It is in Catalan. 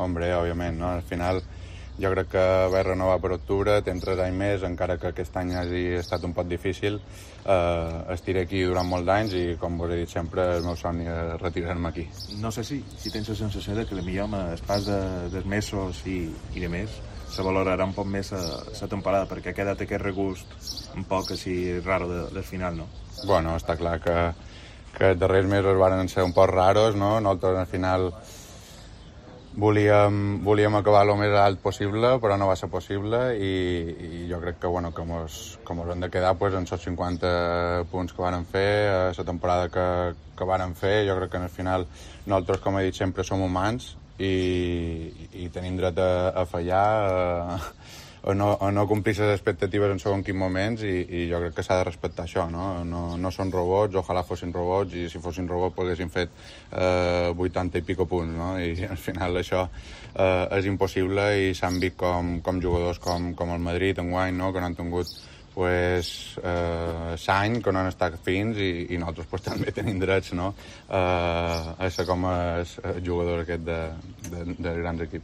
Hombre, òbviament, no? Al final jo crec que haver renovat per octubre, tens 3 anys més, encara que aquest any hagi estat un poc difícil, estiré aquí durant molts anys i, com vos he dit sempre, el meu somni és retirar-me aquí. No sé si tens la sensació de que potser amb el pas dels mesos i de més se valorarà un poc més la temporada, perquè ha quedat aquest regust un poc així raro del final, no? Bueno, està clar que els darrers mesos van ser un poc raros, no? Nosaltres al final volíem acabar el més alt possible, però no va ser possible i jo crec que, bueno, que mos hem de quedar pues, en els 50 punts que vàrem fer, la temporada que vàrem fer. Jo crec que al final nosaltres, com he dit sempre, som humans i tenim dret a fallar, o no complir les expectatives en segons quins moments i jo crec que s'ha de respectar això, no? No són robots, ojalà fossin robots i si fossin robots haguessin fet 80 i pico punts, no? I al final això és impossible i s'han vist com jugadors com el Madrid enguany, no? Que no han tingut l'any que no han estat fins i nosaltres pues, també tenim drets, no? A ser com els jugadors aquest de grans equips.